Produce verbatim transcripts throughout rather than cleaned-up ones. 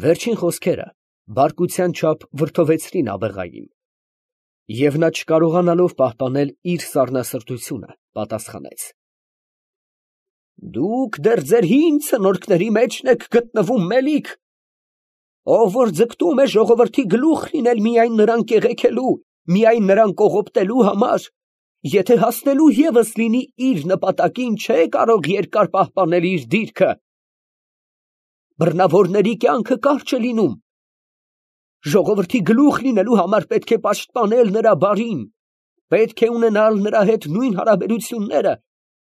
Վերջին խոսքերը բարկության չափ վրդովեցրին աբեղային, և նա, չկարողանալով պահպանել իր սառնասրտությունը, պատասխանեց. Դուք դեռ ձեր հին ցնորքների մեջն եք գտնվում, մելիք. ով որ ձգտում է ժողովրդի գլուխ լինել միայն նրան կեղեքելու, միայն նրան կողոպտելու համար, եթե հասնելու ևս լինի իր նպատակին, չէ կարող երկար պահպանել իր դիրքը. բռնավորների կյանքը կարճ է լինում, ժողովրդի գլուխ լինելու համար պետք է պաշտպանել նրա բարին, պետք է ունենալ նրա հետ նույն հարաբերությունները,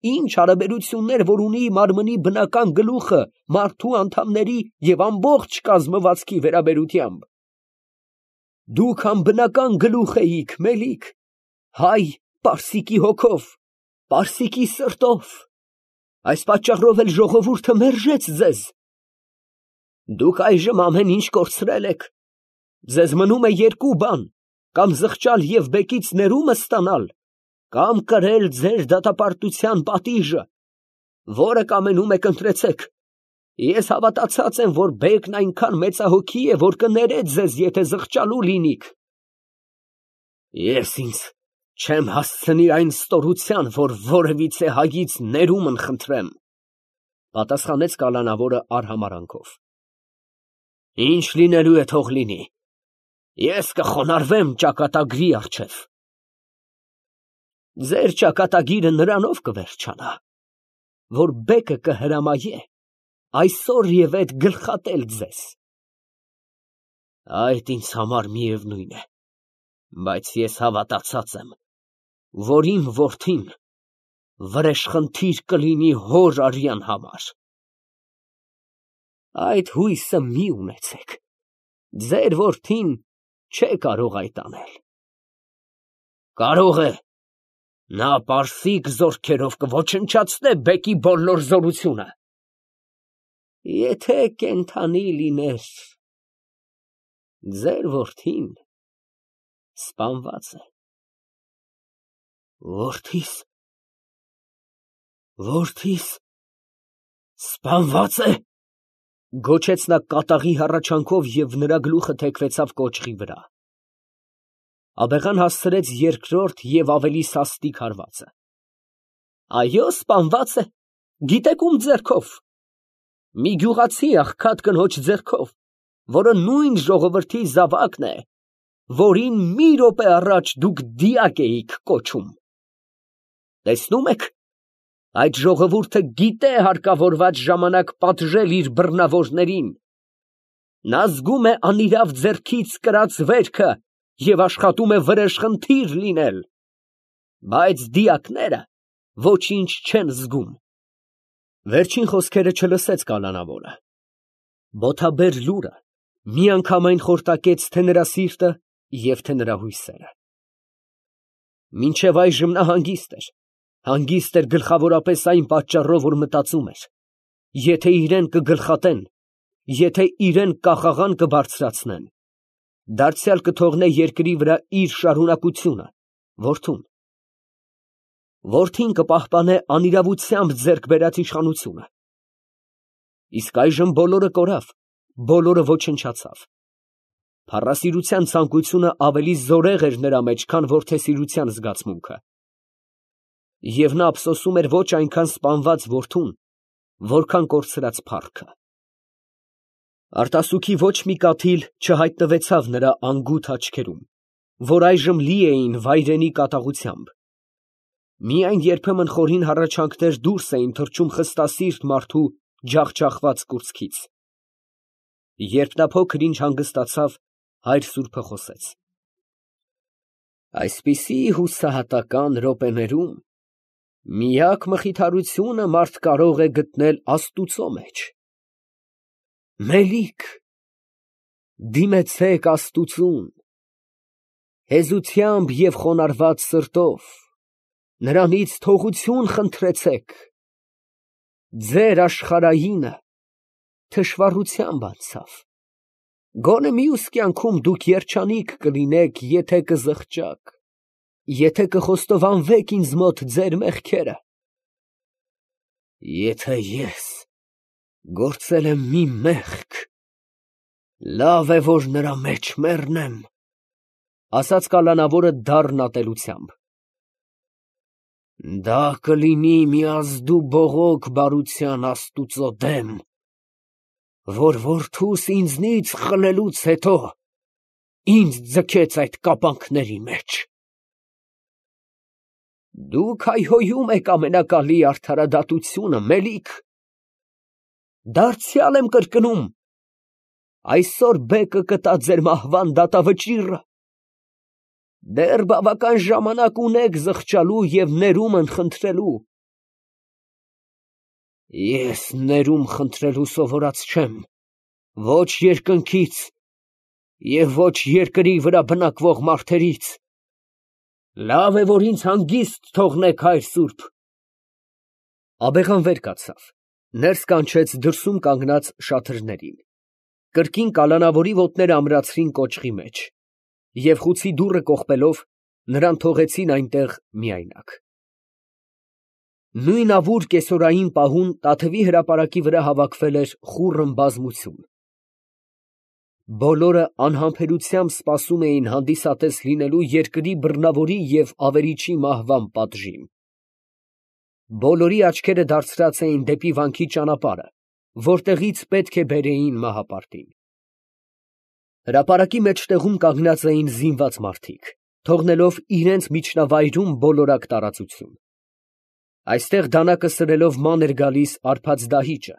ինչ հարաբերություններ, որ ունի մարմնի բնական գլուխը մարդու անդամների և ամբողջ կազմվածքի վերաբերությամբ։ Դուք անբնական գլուխ էիք, մելիք, հայ պարսիկի հոգով, պարսիկի սրտով, այս պատճառով էլ ժողովուրդը մերժեց ձեզ։ Դուք այժմ ամեն ինչ կորցրել եք, ձեզ մնում է երկու բան, կամ զղջալ և բեկից ներումն ստանալ, կամ կրել ձեր դատապարտության պատիժը, որը կամենում եք ընտրեցեք։ Ես հավատացած եմ, որ բեկն այնքան մեծահոգի է, որ կներե ձեզ, եթե զղջալու լինիք։ Ես ինձ չեմ հասցնի այն ստորության, որ որևիցե հայից ներումն խնդրեմ, պատասխանեց կալանավորը արհամարհանքով։ Ինչ լինելու է, թող լինի, ես կխոնարհվեմ ճակատագրի առջև։ Ձեր ճակատագիրը նրանով կվերջանա, որ բեկը կհրամայե այսօր և էդ գլխատել ձեզ։ Այդ ինձ համար միևնույն է, բայց ես հավատացած եմ, որ իմ որդին վրեժխնդիր կլինի հոր արյան համար։ Այդ հույսը մի ունեցեք, ձեր որդին չէ կարող այդ անել։ Կարող է, նա պարսիկ զորքերով կոչնչացնե բեկի բոլոր զորությունը։ Եթե կենդանի լիներ, ձեր որդին սպանված է։ Որդիս, որդիս սպանվա՞ծ է, գոչեց նա կատաղի հառաչանքով և նրա գլուխը թեքվեցավ կոճղի վրա։ Աբեղան հասցրեց երկրորդ և ավելի սաստիկ հարվածը։ Այո, սպանված է, գիտեք ում ձեռքով։ Մի գյուղացի աղքատ կնոջ ձեռքով, որը նույն ժողովրդի զավակն է, որին մի րոպե առաջ դուք դիակ էիք կոչում։ Տեսնում եք, այդ ժողովուրդը գիտե հարկավորված ժամանակ պատժել իր բռնավորներին։ Նա զգում է անիրավ ձեռքից կրած վերքը և աշխատում է վրեժխնդիր լինել, բայց դիակները ոչինչ չեն զգում։ Վերջին խոսքերը չլսեց կալանավորը։ Բոթաբեր լուրը միանգամայն խորտակեց թե նրա սիրտը և թե նրա հույսերը։ Մինչև այժմ նա հանգիստ էր, հանգիստ էր գլխավորապես այն պատճառով, որ մտածում էր. եթե իրան կգլխատեն, եթե իրան կախաղան կբարձրացնեն, դարձյալ կթողնե երկրի վրա իր շարունակությունը, որդուն։ Որդին կպահպանե անիրավությամբ ձեռք բերած իշխանությունը։ Իսկ այժմ բոլորը կորավ, բոլորը ոչնչացավ։ Փառասիրության ցանկությունը ավելի զորեղ էր նրա մեջ, քան որդեսիրության զգացմունքը։ Եվ նա ափսոսում էր ոչ այնքան սպանված որդուն, որքան կորցրած փառքը։ Արտասուքի ոչ մի կաթիլ չհայտնվեցավ նրա անգութ աչքերում, որ այժմ լի էին վայրենի կատաղությամբ։ Միայն երբեմն խորին հառաչանքներ դուրս էին թռչում խստասիրտ մարդու ջախջախված կուրծքից։ Երբ նա փոքր ինչ հանգստացավ, հայր սուրբը խոսեց. Այսպիսի հուսահատական րոպեներում միակ մխիթարությունը մարդ կարող է գտնել աստուծո մեջ։ Մելիք, դիմեցեք աստուծուն, հեզությամբ և խոնարհված սրտով, նրանից թողություն խնդրեցեք, ձեր աշխարհայինը թշվառությամբ անցավ, գոնե մյուս կյանքում դուք երջանիկ կլինեք, եթե կզղջաք, եթե կխոստովանվեք ինձ մոտ ձեր մեղքերը։ Եթե ես գործել եմ մի մեղք, Լավ է, որ նրա մեջ մեռնեմ, ասաց կալանավորը դառն ատելությամբ։ Դա կլինի մի ազդու բողոք բարության Աստուծո դեմ, որ որդուս ինձնից խլելուց հետո ինձ ձգեց այդ կապանքների մեջ։ Դուք հայհոյում եք ամենակալի արդարադատությունը, մելիք։ Դարձյալ եմ կրկնում, այսօր բեկը կտա ձեր մահվան դատավճիռը։ Դեռ բավական ժամանակ ունեք զղջալու և ներումն խնդրելու։ Ես ներում խնդրելու սովորած չեմ, ոչ երկնքից և ոչ երկրի վրա բնակվող մարդերից։ Լավ է, որ ինձ հանգիստ թողնեք, հայր սուրբ։ Աբեղան վեր կացավ, ներս կանչեց դրսում կանգնած շաթրներին, կրկին կալանավորի ոտները ամրացրին կոճղի մեջ և խուցի դուռը կողպելով, նրան թողեցին այնտեղ միայնակ։ Նույն ավուր կեսօրային պահուն Տաթևի հրապարակի վրա հավաքվել էր խուռն բազմություն։ Բոլորը անհամբերությամբ սպասում էին հանդիսատես լինելու երկրի բռնավորի և ավերիչի մահվան պատժին։ Բոլորի աչքերը դարձրած էին դեպի վանքի ճանապարհը, որտեղից պետք է բերեին մահապարտին։ Հրապարակի մեջտեղում կանգնած էին զինված մարդիկ, թողնելով իրենց միջնավայրում բոլորակ տարածություն։ Այստեղ դանակը սրելով ման էր գալիս արփած դահիճը,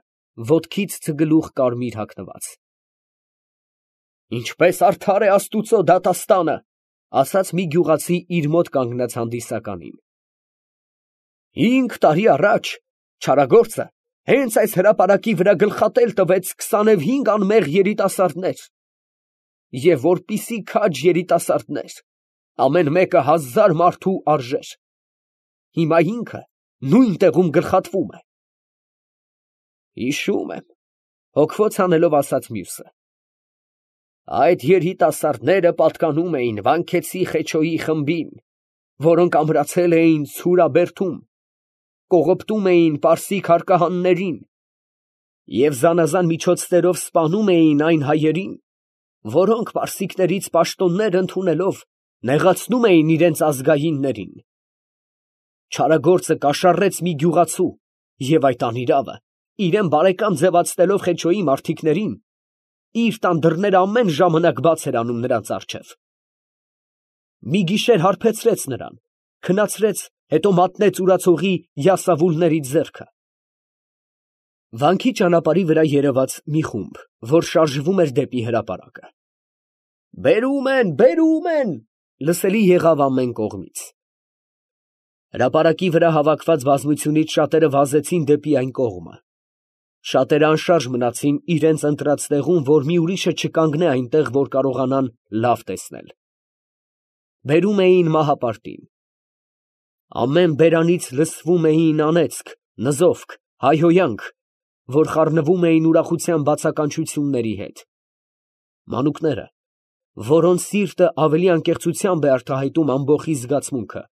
ոտքից ցգլուխ կարմիր հագնված։ Ինչպես արդար է Աստուծո դատաստանը, ասաց մի գյուղացի իր մոտ կանգնած հանդիսականին։ Հինգ տարի առաջ չարագործը հենց այս հրապարակի վրա գլխատել տվեց քսանուհինգ անմեղ երիտասարդներ, և որպիսի քաջ երիտասարդներ, ամեն մեկը հազար մարդու արժեր, հիմա ինքը նույն տեղում գլխատվում է։ Հիշում եմ, հոգվոց հանելով ասաց մյուսը։ Այդ երիտասարդները պատկանում էին Վանքեցի Խեչոյի խմբին, որոնք ամրացել էին Ցուրաբերդում, կողոպտում էին պարսիկ հարկահաններին և զանազան միջոցներով սպանում էին այն հայերին, որոնք պարսիկներից պաշտոններ ընդունելով նեղացնում էին իրենց ազգայիններին։ Չարագործը կաշառեց մի գյուղացու և այդ անիրավը, իրան բարեկամ ձևացնելով Խեչոյի մարդիկներին, իր տան դռները ամեն ժամանակ բաց էր անում նրանց առջև։ Մի գիշեր հարբեցրեց նրան, քնացրեց, հետո մատնեց ուրացողի յասավուլների ձեռքը։ Վանքի ճանապարհի վրա երևաց մի խումբ, որ շարժվում էր դեպի հրապարակը։ Բերում են, բերում են, լսելի եղավ ամեն կողմից։ Հրապարակի վրա հավաքված բազմությունից շատերը վազեցին դեպի այն կողմը։ Շատերը անշարժ մնացին իրենց ընտրած տեղում, որ մի ուրիշը չկանգնե այնտեղ, որ կարողանան լավ տեսնել։ Բերում էին մահապարտին։ Ամեն բերանից լսվում էին անեծք, նզովք, հայհոյանք, որ խառնվում էին ուրախության բացականչությունների հետ։ Մանուկները, որոնց սիրտը ավելի անկեղծությամբ է արտահայտում ամբոխի զգացմունքը,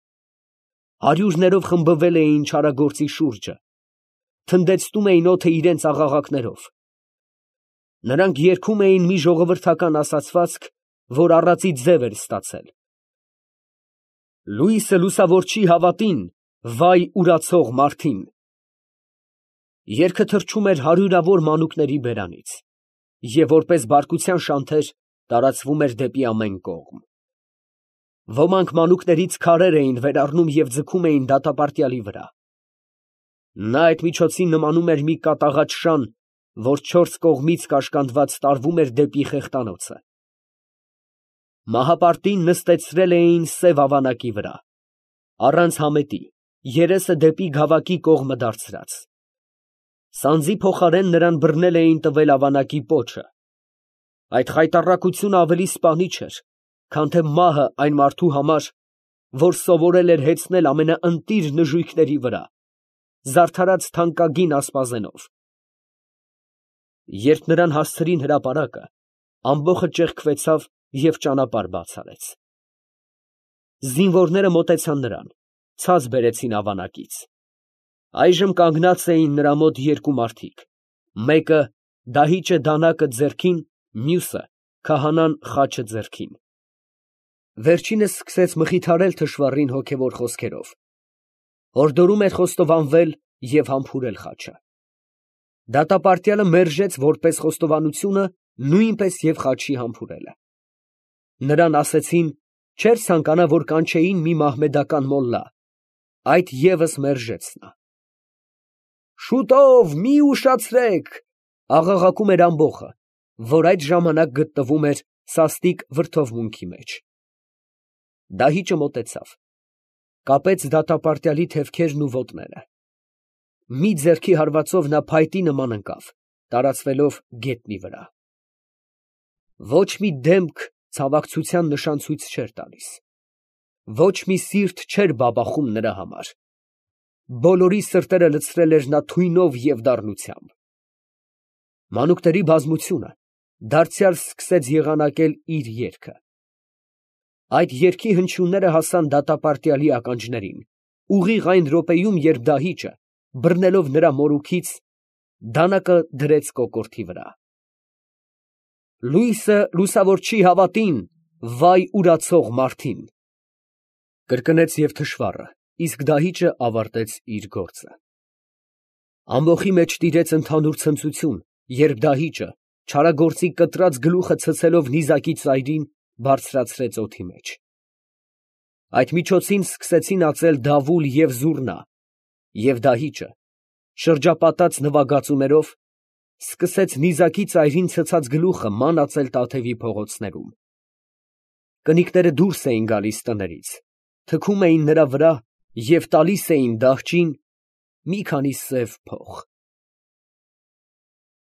հարյուրներով խմբվել էին չարագործի շուրջը, թնդեցնում էին օդը իրենց աղաղակներով։ Նրանք երգում էին մի ժողովրդական ասացվածք, որ առածի ձև էր ստացել. Լույսը լուսավորչի հավատին, վայ ուրացող մարդին։ Երգը թռչում էր հարյուրավոր մանուկների բերանից և որպես բարկության շանթեր տարածվում էր դեպի ամեն կողմ։ Ոմանք մանուկներից քարեր էին վերառնում և ձգում էին դատապարտյալի վրա։ Նա այդ միջոցին նմանում էր մի կատաղած շան, որ չորս կողմից կաշկանդված տարվում էր դեպի խեղտանոցը։ Մահապարտին նստեցրել էին սև ավանակի վրա, առանց համետի, երեսը դեպի գավակի կողմը դարձրած։ Սանձի փոխարեն նրան բռնել էին տվել ավանակի պոչը։ Այդ խայտառակությունը ավելի սպանիչ էր, քան թե մահը այն մարդու համար, որ սովորել էր հեծնել ամենաընտիր նժույգների վրա, զարդարած թանկագին ասպազենով։ Երբ նրան հասցրին հրապարակը, ամբոխը ճեղքվեցավ և ճանապարհ բաց արեց։ Զինվորները մոտեցան նրան, ցած բերեցին ավանակից։ Այժմ կանգնած էին նրա մոտ երկու մարդիկ, մեկը դահիճը դանակը ձեռքին, մյուսը քահանան խաչը ձեռքին։ Վերջինս սկսեց մխիթարել թշվառին հոգևոր խոսքերով, հորդորում էր խոստովանվել և համբուրել խաչը։ Դատապարտյալը մերժեց որպես խոստովանությունը նույնպես և խաչի համբուրելը։ Նրան ասեցին չէր ցանկանա, որ կանչեին մի մահմեդական մոլլա, այդ ևս մերժեց նա։ «Շուտով, մի ուշացրեք», աղաղակում էր ամբոխը, որ այդ ժամանակ գտնվում էր սաստիկ վրդովմունքի մեջ։ Դահիճը մոտեցավ, կապեց դատապարտյալի թևքերն ու ոտները։ Մի ձեռքի հարվածով նա փայտի նման ընկավ, տարածվելով գետնի վրա։ Ոչ մի դեմք ցավակցության նշան ցույց չէր տալիս, ոչ մի սիրտ չէր բաբախում նրա համար, բոլորի սրտերը լցրել էր նա թույնով և դառնությամբ։ Մանուկների բազմությունը դարձյալ սկսեց եղանակել իր երգը։ Այդ երգի հնչյունները հասան դատապարտյալի ականջներին ուղիղ այն րոպեում, երբ դահիճը, բռնելով նրա մորուքից, դանակը դրեց կոկորդի վրա։ «Լույսը լուսավոր չի հավատին, վայ ուրացող մարդին», կրկնեց և թշվառը, իսկ դահիճը ավարտեց իր գործը։ Ամբոխի մեջ տիրեց ընդհանուր ցնծություն, երբ դահիճը, չարագործի կտրած գլուխը ցցելով նիզակի ծայրին, բարձրացրեց օդի մեջ։ Այդ միջոցին սկսեցին ածել դավուլ և զուռնա, և դահիճը, շրջապատած նվագածումներով, սկսեց նիզակի ծայրին ցցած գլուխը ման ածել Տաթևի փողոցներում։ Կնիկները դուրս էին գալիս տներից, թքում էին նրա վրա և տալիս էին դահճին մի քանի սև փող։